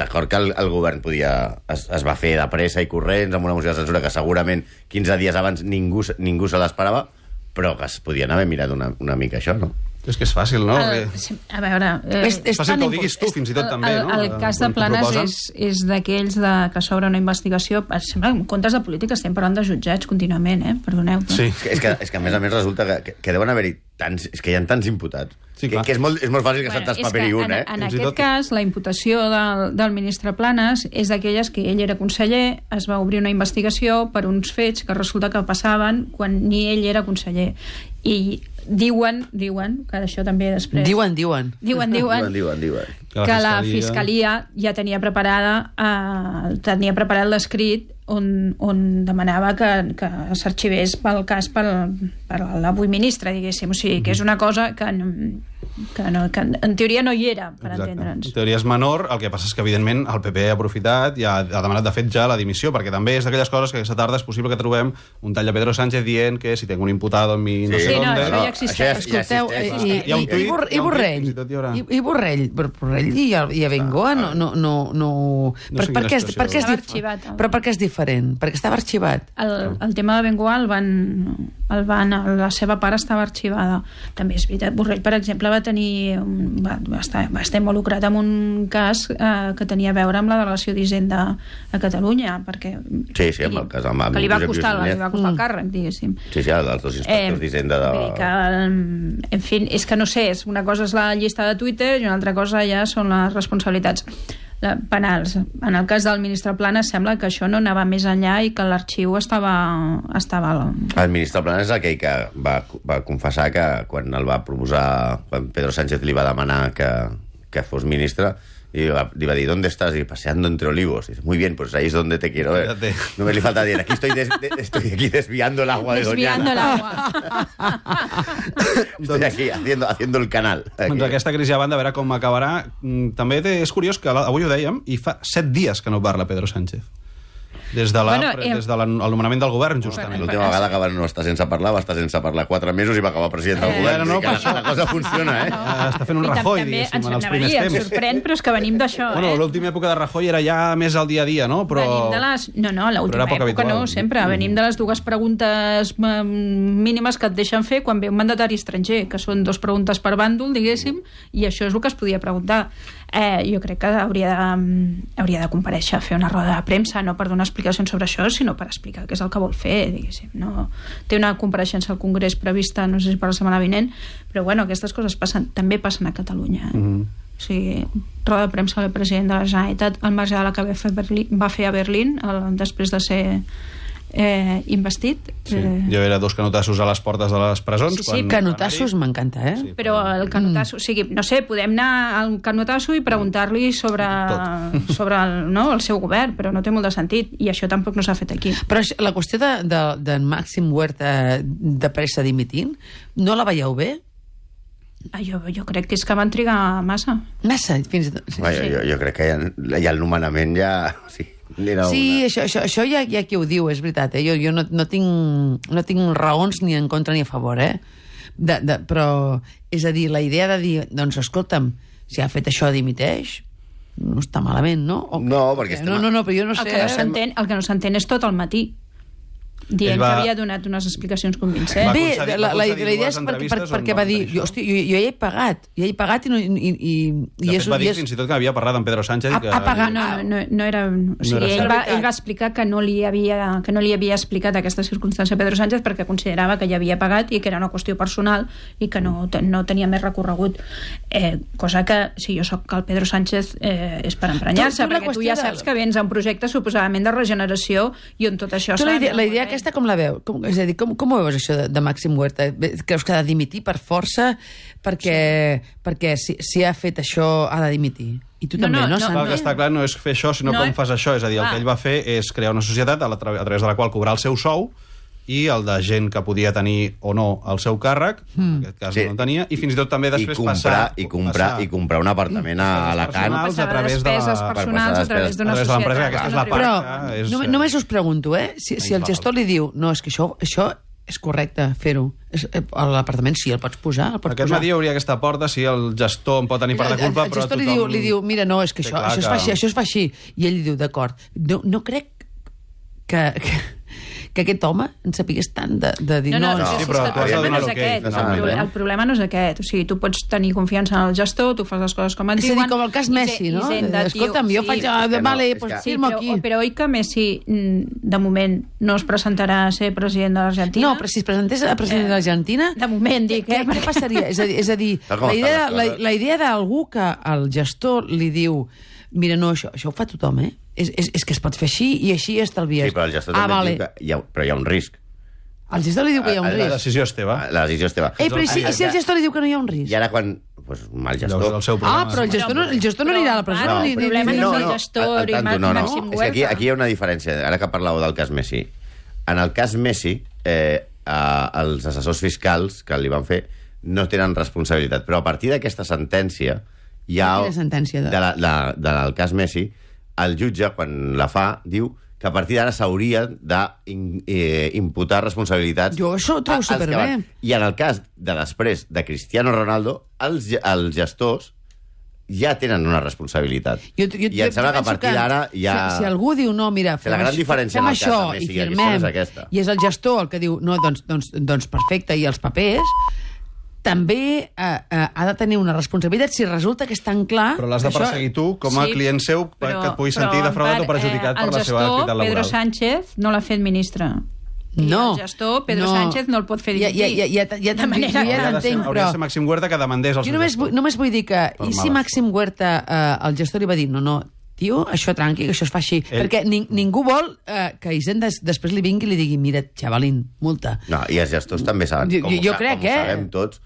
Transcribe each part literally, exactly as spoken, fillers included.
d'acord que el, el govern podia, es, es va fer de pressa i corrents amb una moció de censura que segurament quinze dies abans ningú, ningú se l'esperava, però que es podien haver mirat una, una mica això, no? És que és fàcil, no? El, a veure... Eh, és, és fàcil que ho diguis tu, fins i tot, també, el, no? El, el cas de Planes és, és d'aquells de, que s'obre una investigació... Sembla, en comptes de política estem parlant de jutjats contínuament, eh? Perdoneu. Sí. És que, és que a més a més resulta que, que, que deuen haver-hi tants... És que hi ha tants imputats. Sí, que, que és, molt, és molt fàcil que bueno, se't paper i un, en, eh? En aquest tot... cas, la imputació del, del ministre Planes és d'aquelles que ell era conseller, es va obrir una investigació per uns fets que resulta que passaven quan ni ell era conseller. I diuen, diuen, que d'això també després... Diuen, diuen. Diuen, diuen, diuen, diuen, diuen. Que, que la Fiscalia ja tenia preparada eh, tenia preparat l'escrit on, on demanava que, que s'arxivés pel cas per, per l'avui ministre, diguéssim. O sigui, que és una cosa que, que, no, que en teoria no hi era, per entendre'ns. En teoria és menor, el que passa és que, evidentment, el P P ha aprofitat i ha, ha demanat, de fet, ja la dimissió, perquè també és d'aquelles coses que aquesta tarda és possible que trobem un tall de Pedro Sánchez dient que si tengo un imputado en mi... Sí, no sé sí, no, dónde... això ja existeix. Escolteu, ja i, Hi ha un tuit, i, Bor, i Borrell, i, i Borrell, Borrell i, i Abengoa no, no, no, no... No per, sé per, quina què és, situació. per què és Estava dif... arxivat, el- Però per què és diferent? Perquè estava arxivat. El, el tema de Bengoa el van, el van, la seva part estava arxivada. També és veritat, Borrell, per exemple, va tenir un, va, va, estar, va estar involucrat en un cas eh, que tenia a veure amb la delegació d'Hisenda a Catalunya, perquè Sí, sí, amb el cas amb que li va Josep costar, Lluís li va costar el càrrec, diguéssim. Sí, sí, dels dos inspectors eh, d'Hisenda de... Que, en fi, és que no sé, és una cosa és la llista de Twitter i una altra cosa ja són les responsabilitats penals. En el cas del ministre Planes sembla que això no anava més enllà i que l'arxiu estava... estava... El ministre Planes és aquell que va, va confessar que quan el va proposar, quan Pedro Sánchez li va demanar que, que fos ministre, i li va, li va dir, ¿dónde estás? Y paseando entre olivos. Y dice, muy bien, pues ahí es donde te quiero ver. Fíjate. No me le falta decir, aquí estoy, des, de, estoy aquí desviando el agua de Desviando Doñana. l'agua. Estoy aquí haciendo, haciendo el canal. Aquí. Doncs aquesta crisi a banda, a veure com acabarà. Mm, També té- és curiós que la- avui ho dèiem, i fa set dies que no parla Pedro Sánchez. Des de la, Bueno, eh, des de la, el nomenament del govern, justament. L'última vegada que va no estar sense parlar, va estar sense parlar quatre mesos i va acabar president del Eh, govern. no, Vull dir per que la, la cosa funciona, eh? Ah, està fent un I tam- Rajoy, també diguéssim, ens en els anava a primers dir, em temps. sorprèn, però és que venim d'això, Bueno, eh? l'última època de Rajoy era ja més al dia a dia, no? Però... Venim de les... No, no, l'última però era poc època habitual. no, sempre. Venim de les dues preguntes mm, mínimes que et deixen fer quan ve un mandatari estranger, que són dues preguntes per bàndol, diguéssim, i això és el que es podia preguntar. Eh, jo crec que hauria de, hauria de comparèixer a fer una roda de premsa, no per donar explicacions sobre això, sinó per explicar què és el que vol fer, diguéssim. No? Té una compareixença al Congrés prevista, no sé si per la setmana vinent, però bueno, aquestes coses passen, també passen a Catalunya. Eh? Mm-hmm. O sigui, roda de premsa del president de la Generalitat al marge de la que va fer, Berlín, va fer a Berlín el, després de ser eh, investit. Sí, Eh, jo era dos canotassos a les portes de les presons. Sí, sí, quan Canotassos va anar-hi. m'encanta, eh? Sí. però el canotasso, o sigui, no sé, podem anar al canotasso i preguntar-li sobre, sobre el, no, el seu govern, però no té molt de sentit, i això tampoc no s'ha fet aquí. Però això- la qüestió de, de, de Màxim Huerta de pressa dimitint, no la veieu bé? Ah, jo, jo crec que és que van trigar massa. Massa, fins i tot. Sí, Vaja, jo, jo crec que ja, ja el nomenament ja... Sí, era sí una... això, això, això ja, ja qui ho diu, és veritat. Eh? Jo, jo no, no, tinc, no tinc raons ni en contra ni a favor, eh? De, de, però, és a dir, la idea de dir, doncs, escolta'm, si ha fet això, dimiteix, no està malament, no? O, No, perquè estem- No, no, no, però jo no El sé... que no eh? s'entén, el que no s'entén és tot el matí, dient Ell va- que havia donat unes explicacions Va convincents. Bé, concedir- la, va la, concedir la idea dues és perquè, per, entrevistes perquè on va va dir, dir jo, això. hosti, jo, jo ja he pagat, ja he pagat i, no, i, i, i De és, fet, va i dir és, fins i tot que havia parlat amb Pedro Sánchez. Ha- que... ha pagat- No, no, no era... O sigui, No era ell, va, cert. ell va explicar que no, li havia, que no li havia explicat aquesta circumstància a Pedro Sánchez perquè considerava que ja havia pagat i que era una qüestió personal i que no, te- no tenia més recorregut. Eh, cosa que, si jo sóc el Pedro Sánchez, eh, és per emprenyar-se, Tu- tu la perquè tu qüestió ja de- saps que vens a un projecte suposadament de regeneració i on tot això Tu la s'ha idea, de- la idea aquesta com la veu? Com, és a dir, com, com ho veus això de, de Màxim Huerta? Creus que ha de dimitir per força perquè, sí. perquè si, si ha fet això ha de dimitir? I tu No, també, no, no? no. Sandra? El que està clar no és fer això, sinó No, com fas això. És a dir, el clar. que ell va fer és crear una societat a, la, a través de la qual cobrar el seu sou i el de gent que podia tenir o no el seu càrrec, mm. en aquest cas Sí. no en tenia, i fins i tot també I després comprar, passar... i, comprar, passar i comprar un apartament a Alacant. personals a Passar de través de la- despeses per personals a través d'una a través de l'empresa, societat. que aquesta és la part Però que és... només, només us pregunto, eh? Si, si el gestor li diu no, és que això, això És correcte fer-ho. És- eh, A l'apartament sí, el pots posar, el pots Aquest posar. matí hauria aquesta porta, si el gestor en pot tenir part de culpa, el, el però gestor li tothom... diu, li diu, mira, no, és que té això, clar això, es que- fa així, això es fa així. I ell li diu, d'acord. No, no crec que, que, que aquest home en sapigués tant de, de dir... No, no, no, sí, sí, sí, però és que tu has de el problema donar no és l'ok. aquest. No El, s'ha de pro- donar. el problema no és aquest. O sigui, tu pots tenir confiança en el gestor, tu fas les coses com et És a dir, diuen... com el cas i Messi, Zen- no? i Zenda, tio, Escolta'm, jo sí, faig... Ah, que no, vale, és pues que- Sí, firmo però, aquí. però oi que Messi, mm, de moment, no es presentarà a ser president de l'Argentina? No, però si es presentés a president de l'Argentina... De moment, dic, Què, eh? què passaria? És a dir, és a dir Tal com la, estan idea, les la, coses. la idea d'algú que el gestor li diu mira, no, això, això ho fa tothom, eh? És, és, és que es pot fer així i així estalvies. Sí, però el gestor ah, també vale. diu que hi ha, però hi ha un risc. El gestor li diu que hi ha un Ah, La risc. decisió és teva. La decisió és teva. Ei, però i si, i si el gestor li diu que no hi ha un risc? I ara quan... Pues, mal gestor... Llavors, el seu Ah, problema. però el gestor no, el gestor no anirà a la presó. No, ni, el ni, problema ni, no ni, és el gestor al- al i tanto, Màxim no, no. Huerta. És que aquí, aquí hi ha una diferència. Ara que parlàveu del cas Messi. En el cas Messi, eh, eh, els assessors fiscals que li van fer no tenen responsabilitat. Però a partir d'aquesta sentència hi ha... Quina sentència? De... De la, la, de la, del cas Messi, el jutge, quan la fa, diu que a partir d'ara s'hauria d'imputar eh, responsabilitats... Jo això ho trobo a- als que superbé. van. I en el cas de després de Cristiano Ronaldo, els, ge- els gestors ja tenen una responsabilitat. Jo, jo, I em sembla que a penso partir d'ara ja... Si, si algú diu, no, mira, Que la gran això- diferència fem en el cas això de Messi i i Cristiano firmem, és aquesta. i és el gestor el que diu, no, doncs, doncs, doncs perfecte, i els papers, també eh, eh, ha de tenir una responsabilitat si resulta que és tan clar... Però l'has de que això- perseguir tu com a Sí, client seu que et pugui sentir però, defraudat en o perjudicat part, per la seva El activitat gestor, laboral. Pedro Sánchez, no l'ha fet ministre. I No. el gestor, Pedro no. Sánchez, no el pot fer Ja, dimitir. ja, ja, ja, ja, De manera ja, que- ja Hauria de ser, t'entenc, hauria però... de ser Màxim Huerta que demandés el Jo seu només, gestor. vull, només vull dir que... Per I si males. Màxim Huerta, eh, el gestor li va dir, no, no, tio, això tranqui, que això es fa així. Ell- Perquè ning ningú vol eh, que Hisenda des després li vingui i li digui, mira, xavalín, multa. No, i els gestors també saben, Jo- com, jo- ho jo sa- crec, com ho eh? sabem tots,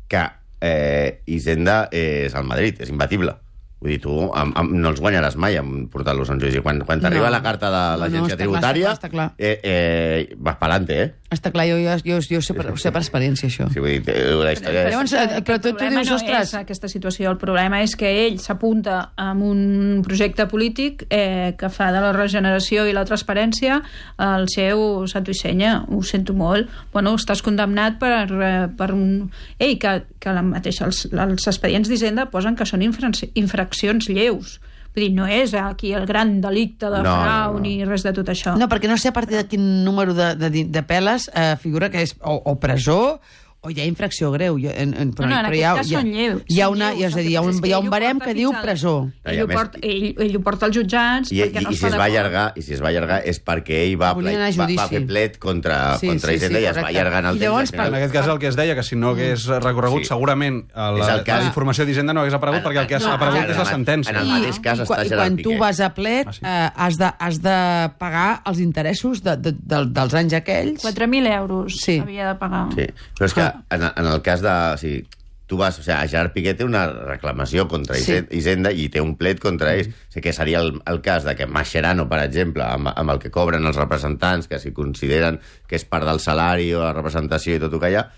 que eh, Hisenda és al Madrid, és imbatible. Vull dir, tu amb, amb, no els guanyaràs mai amb portar-los en judici. Quan, quan t'arriba No. la carta de No, no, l'agència està clar, tributària, està clar, està eh, eh, vas pelante, eh? Està clar, jo, jo, jo, jo sé, per, ho sé per experiència, això. Sí, vull dir, eh, la història Però és... llavors, eh, però tu, El tu problema dius, no ostres... és aquesta situació, el problema és que ell s'apunta amb un projecte polític eh, que fa de la regeneració i la transparència el seu santo i senya. Ho sento molt. Bueno, estàs condemnat per, eh, per un... Ei, que, que la mateixa, els, els expedients d'Hisenda posen que són infra- infraccions lleus. Vull dir, no és aquí el gran delicte de No, frau no, no. ni res de tot això. No, perquè no sé a partir de quin número de, de, de peles eh, figura que és o, o presó o hi ha infracció greu. Jo, en, en, però, No, no, en però aquest hi ha, cas hi ha, són lleus, Hi ha, són una, lleus. hi ha, és a dir, hi ha El un, que hi ha passa és un que barem ell ho que porta diu fins al- presó. No, i Ell a ho, més- porta, ell, ell ho porta als jutjats I, perquè i, no i si està es va d'acord. allargar i si es va allargar és perquè ell va, Volia anar a va, va judici. fer plet contra, Sí, contra sí, Hisenda sí, i es va correcte. allargant el I temps. llavors, i al En final- aquest cas el que es deia, que si no hagués recorregut, Sí. segurament a la, És el cas- la informació d'Hisenda no hagués aparegut, perquè el que ha No, aparegut ara, és la en el- sentència. en el mateix cas I, està quan, i Gerard quan tu Piqué. vas a plet Ah, sí? eh, has, de, has de pagar els interessos de, de, de, dels anys aquells. quatre mil euros Sí. havia de pagar. Sí, però és que Ah. en, en el cas de... O sigui, tu vas... O sigui, Gerard Piqué té una reclamació contra Sí. sí. Hisenda i té un plet contra ells. O sigui, que seria el, el cas de que Mascherano, per exemple, amb, amb el que cobren els representants, que si consideren que és part del salari o la representació i tot el que hi ha,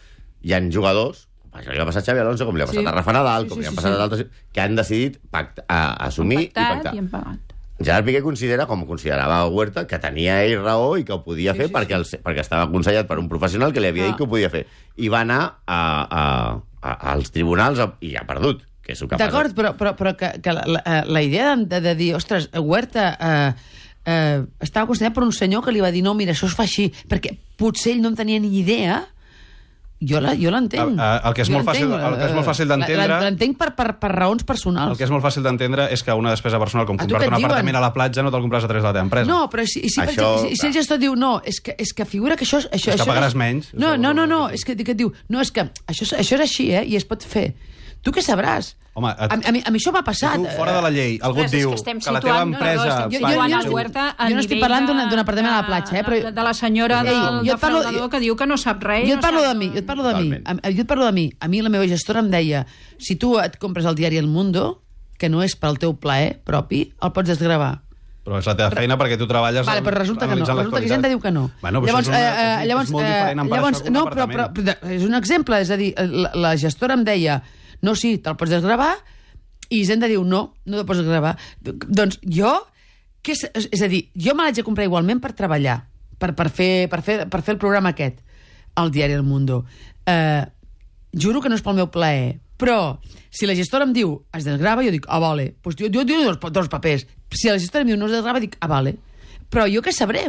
hi ha jugadors, això li va passar a Xavi Alonso, com li ha passat Sí. a Rafa Nadal, Sí, com sí, li ha sí, passat sí. a d'altres, que han decidit pactar, a, assumir Han pactat i pactar. i han pagat. Gerard Piqué considera, com considerava Huerta, que tenia ell raó i que ho podia fer perquè, el, perquè estava aconsellat per un professional que li havia Ah. dit que ho podia fer. I va anar a, a, a, als tribunals a, i ha perdut, que és el que D'acord, passa. però, però, però que, que la, la, la idea de, de, de dir, ostres, Huerta eh, eh, estava considerat per un senyor que li va dir, no, mira, això es fa així, perquè potser ell no en tenia ni idea. Jo la- jo l'entenc. El- el que és Jo molt fàcil- l'entenc, el que és molt fàcil eh, d'entendre- la- L'entenc per, per, per raons personals. El que és molt fàcil d'entendre és que una despesa personal com A tu comprar-te què un et diuen? apartament a la platja no te'l compres a través de la teva empresa. No, però si, si, per Això, exemple, si, si el gestor diu no, és que, és que figura que això... això És que això pagaràs menys. No, no, no, no, És és que, que et diu, no, és que això, això és així, eh, i es pot fer. Tu què sabràs? Home, et- a, a, mi, a mi això m'ha passat. Tu, fora de la llei, algú et Ostres, és diu que estem que la teva situant- no, no, empresa... estem Jo- jo- situant jo- el Huerta a jo no estic nivell parlant de- d'un- d'un apartament a la platja, eh, però- de, de la senyora Ei, del jo et parlo- defraudador que diu que no sap res. Jo et no parlo sap- de mi, jo et parlo de mi. Totalment. A- Jo et parlo de mi. A mi la meva gestora em deia, si tu et compres el diari El Mundo, que no és pel teu plaer propi, el pots desgravar. Però és la teva feina perquè tu treballes Vale, però resulta que no. analitzant Resulta que l'actualitat. Hisenda diu que no. Bueno, però llavors, això és, una, eh, eh, és, llavors, és molt diferent eh, emparar llavors, això que un no, però, però, apartament. però és un exemple, és a dir, la, la gestora em deia, no, sí, te'l pots desgravar, i Hisenda diu, no, no te'l pots desgravar. Doncs jo, què és, és a dir, jo me l'haig de comprar igualment per treballar, per, per, fer, per, fer, per fer el programa aquest. al diari El Mundo. Eh, juro que no és pel meu plaer, però si la gestora em diu es desgrava, jo dic, ah, vale. Pues jo, jo dic dos, dos papers. Si la gestora em diu no es desgrava, dic, ah, vale. Però jo què sabré?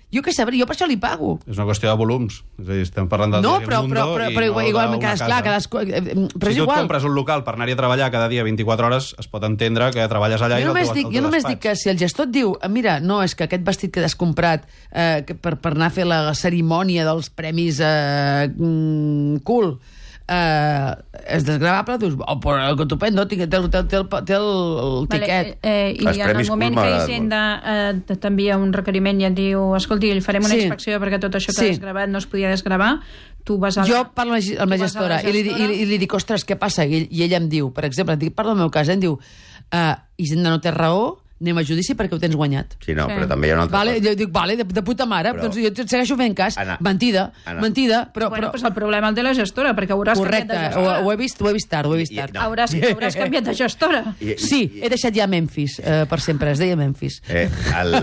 Jo què sabré? Jo per això li pago. És una qüestió de volums. És a dir, estem parlant del no, diari però, El Mundo però, però, i però, no igual, d'una cadascú, clar, cadascú, eh, però si és tu et igual. compres un local per anar-hi a treballar cada dia vint-i-quatre hores, es pot entendre que treballes allà Jo i no només, el teu, dic, el jo teu només despatx. dic que si el gestor et diu mira, no, és que aquest vestit que has comprat eh, que per, per anar a fer la cerimònia dels premis eh, mm, cool eh, és desgravable, dius, oh, però estupendo, té, té, té, té, el, té el, el tiquet. Vale, eh, I Els en el premis moment Cool que m'agraden Hisenda eh, t'envia un requeriment i et diu, escolti, li farem una Sí. inspecció perquè tot això que Sí. has gravat no es podia desgravar, tu vas a la... Jo parlo amb la, amb la tu vas a la gestora, i, li, i, li, i li dic, ostres, què passa? I, i ella em diu, per exemple, dic, parlo del meu cas, eh, em diu, uh, Hisenda no té raó, anem a judici perquè ho tens guanyat. Sí, no, Sí. però també hi ha una altra Vale, cosa. jo dic, vale, de, de puta mare, Però- doncs jo et segueixo fent cas. Anna, mentida, Anna. mentida, però... Bueno, però pues el problema el té la gestora, perquè hauràs correcte, canviat de ho, gestora. ho, he vist, ho he vist tard, ho he vist I- i- tard. no. Hauràs, hauràs canviat de gestora. I- i- Sí, i- he deixat ja Memphis, eh, per sempre, es deia Memphis. Eh, el,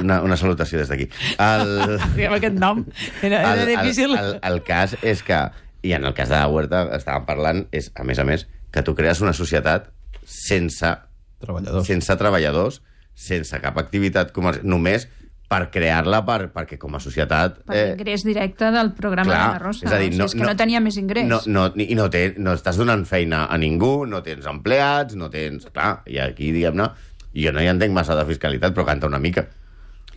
una, una salutació des d'aquí. El, Sí, amb aquest nom era, era el, difícil. el, el, el cas és que, i en el cas de la Huerta estàvem parlant, és, a més a més, que tu crees una societat sense Treballadors. sense treballadors, sense cap activitat comercial, només per crear-la, per, perquè com a societat... Per l'ingrés directe del programa clar, de la Rosa. és a dir, O sigui, és que no, tenia més ingrés. No, no, I no, té, no estàs donant feina a ningú, no tens empleats, no tens... Clar, i aquí, diguem-ne, jo no hi entenc massa de fiscalitat, però canta una mica.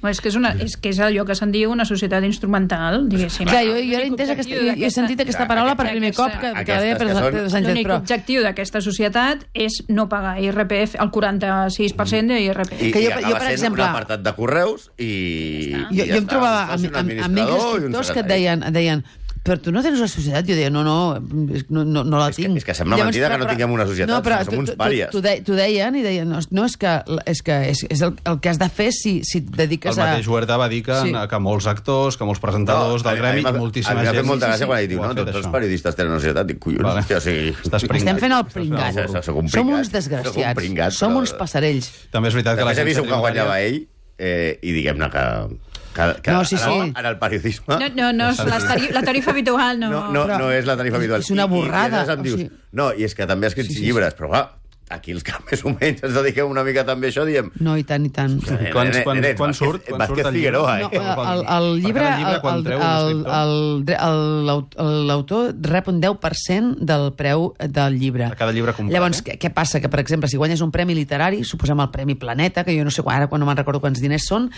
No, és, que és, una, és que és allò que se'n diu una societat instrumental, diguéssim. Clar, jo, jo he, L'únic entès aquesta, objectiu jo he d'aquesta- sentit aquesta Clar, paraula per aquesta- primer cop que, que la aquestes deia que són- Pedro Sánchez, L'únic però... objectiu d'aquesta societat és no pagar I R P F, el quaranta-sis per cent d'I R P F. I, Que i jo- acaba jo, per sent exemple- un apartat de correus i... Jo, i jo em està. trobava Posi amb, un amb, amb amics administrador i un escriptors que et secretari. deien, et deien però tu no tens una societat? Jo deia, no, no, és- no, no, no la És que- tinc. és que sembla mentida que no tinguem una societat, però som tu- uns tu- pàries. Tu, de, tu deien i deien, no, no és que, és, que és, és el, el que has de fer si, si et dediques El a... mateix Huerta va dir que, Sí. que molts actors, que molts presentadors a del mi- a mi gremi m'ha- i moltíssima a mi m'ha gent... fet molta sí, gràcia sí, quan he dit, ho no, ha fet, tots els això. periodistes tenen una societat. Dic, collons, Vale. hòstia, o sigui... Estàs pringat. Estem fent el Estàs fent pringat. el burro. Soc un Som pringat. uns desgraciats. Soc un pringat, Som però- uns passarells. També és veritat que Després he vist l'agència quan guanyava tributària- ell eh, i diguem-ne que... que, que No, sí, en, sí. el, en el periodisme... No, no, no, és la, tari la tarifa habitual no... No, no, Però- no és la tarifa habitual. És una borrada, I, i, i em dius, o sigui- no, i és que també ha escrit Sí, sí, sí. llibres, però clar, aquí els que més o menys ens dediquem una mica també a això, diem... No, i tant, i tant. Quan, quan, Nen, quan Vázquez- surt? Quan Vázquez surt el Figueroa, llibre? eh? No, Quan- el, el per llibre, cada llibre, quan el- treu un el- escriptor? el- el- l'aut- l'autor rep un deu per cent del preu del llibre. De cada llibre comprat, Llavors, eh? què, què passa? Que, per exemple, si guanyes un premi literari, suposem el Premi Planeta, que jo no sé quan, ara quan no me'n recordo quants diners són,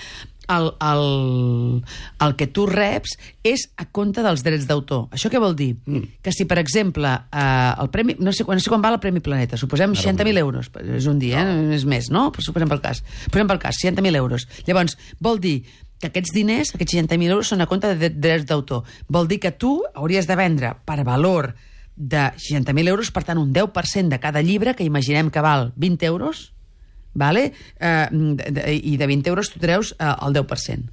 el, el, el que tu reps és a compte dels drets d'autor. Això què vol dir? Mm. Que si, per exemple, eh, el premi, no sé, no sé quan val el Premi Planeta, suposem seixanta mil euros, és un dia, no. eh? és més, no? Però suposem pel cas. Posem pel cas, seixanta mil euros. Llavors, vol dir que aquests diners, aquests seixanta mil euros, són a compte de drets d'autor. Vol dir que tu hauries de vendre per valor de seixanta mil euros, per tant, un deu per cent de cada llibre, que imaginem que val vint euros, vale? eh, de, de, i de vint euros tu treus eh, el deu per cent.